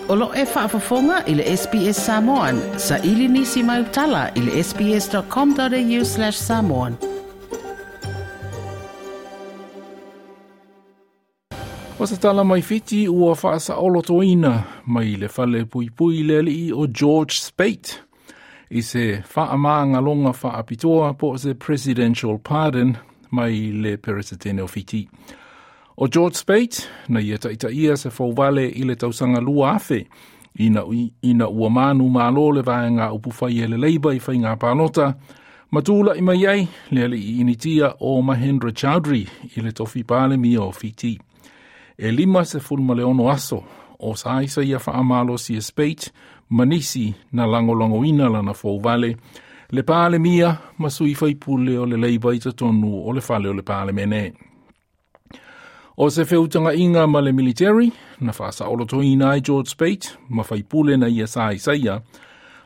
O lo e faafofoga i le SBS Samoan. Sa ili nisi mai utala i le sbs.com.au/samoan. O se tala mai Fiti ua faasaolotoina mai le fale puipui le alii o George Speight i se faamagaloga faapitoa po o se presidential pardon mai le Peresetene o Fiti. O George Speight na ia taitaia se fouvale i le tausaga 2000 ina ua manu malo le vaega upufai e le Labour i faiga palota ma tula'i mai ai le alii Initia o Mahendra Chaudhry i le tofi Palemia o Fiti. E 56 aso o saisa ia faamalosi e Speight ma nisi na lagolagoina lana fouvale le Palemia ma sui faipule o le Labour i totonu o le fale o le Palemene. O se feutaga'iga ma le military na faasaolotoina ai George Speight ma faipule na ia saisaia,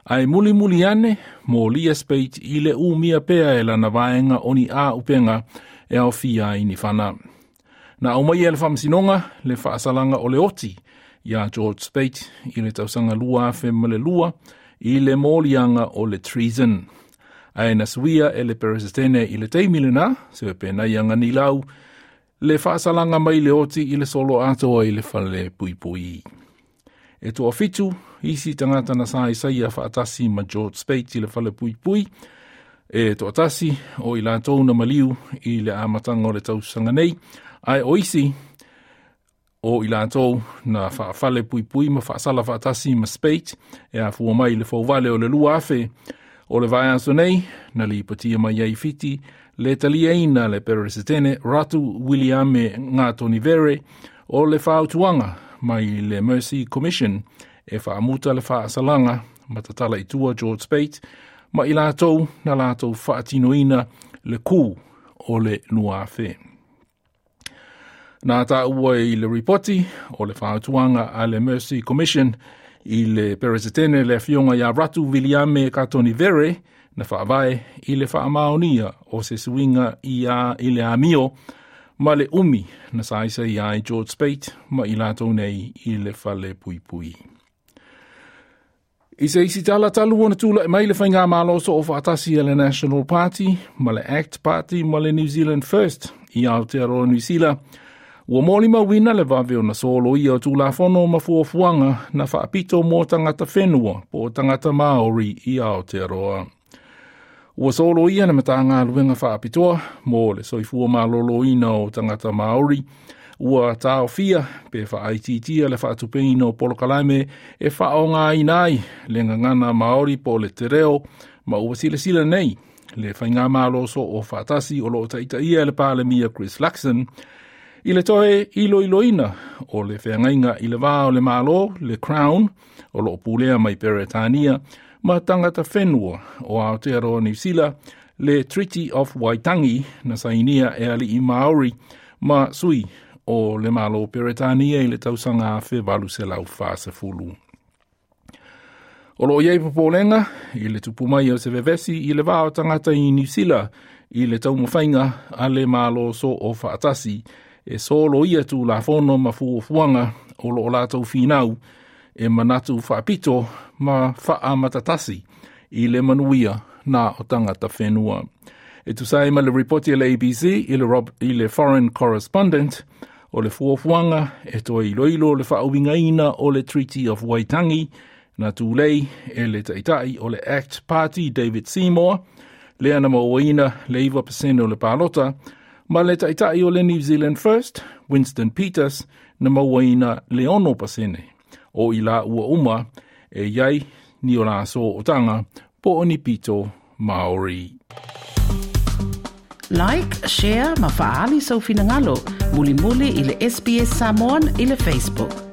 ae mulimuli ane molia Speight i le umia pea e lana vaega o ni āupega e aofia ai ni fana. Na aumaia e le faamasinoga le faasalaga o le oti iā George Speight i le tausaga 2002 i le moliaga o le treason. Ae na suia e le Peresetene i le taimi lenā, se Penaia Ganilau, le faasalaga mai le oti i le solo atoa i le fale puipui. E 7 isi tagata na saisaia faatasi ma George Speight i le fale puipui, e 1 o i latou na maliu i le amataga o le tausaga nei, ae o isi o i latou na faafale puipui ma faasala faatasi ma Speight e afua mai le fouvale o le 2000 o le vaiaso nei na lipotia mai ai Fiti le taliaina le Peresetene Ratu Wiliame Katonivere o le fautuaga mai le Mercy Commission e faamuta le faasalaga ma tatala i tua George Speight ma i latou na latou faatinoina le ku o le 2000. Na taua i le ripoti o le fautuaga a le Mercy Commission i le Peresetene le afioga iā Ratu Wiliame Katonivere na faavae i le faamaonia o se suiga i a i le amio ma le umi na saisa ai George Speight ma i latou nei i le fale puipui. I se isi tala talu ona tula'i mai le faigamalo soo faatasi a le National Party ma le ACT Party ma le New Zealand First i Aotearoa Niu Sila, ua molimauina le vave ona soloia o Tulafono ma fuafuaga na faapito mo tagata whenua po o tagata Māori i Aotearoa. Ua soloia le Matagaluega faapitoa mo le soifua malōlōina o tagata Māori, ua taofia pe faaitiitia le faatupeina o polokalame e faaaogaina ai le gagana Māori po o le te reo, ma ua silasila nei le faigamalo soo faatasi o loo taitaia e le Palemia Chris Luxon i le toe iloiloina o le feagaiga i le va o le Malo, le Crown, o loo pulea mai Peretania, ma tagata whenua o Aotearoa Niu Sila, le Treaty of Waitangi na sainia e alii Māori ma sui o le Malo Peretania i le tausaga 1840. O loo iai popolega i le tupu mai o se vevesi i le va o tagata i Niu Sila i le taumafaiga a le Malo soo faatasi e soloia Tulafono ma fuafuaga o loo latou finau e manatu faapito ma faamatatasi i le manuia na o tagata whenua. E tusa ai ma le ripoti a le ABC i le Foreign Correspondent o le fuafuaga e toe iloilo le faauigaina o le Treaty of Waitangi na tulei e le taita'i o le ACT Party David Seymour, lea na mauaina le 9% o le palota, ma le taita'i o le New Zealand First Winston Peters na mauaina le 6%. O i la ua uma e iai ni o la sootaga po o ni pito Māori. Like, share ma faaali sou finagalo. Mulimuli i le SBS Samoan i le Facebook.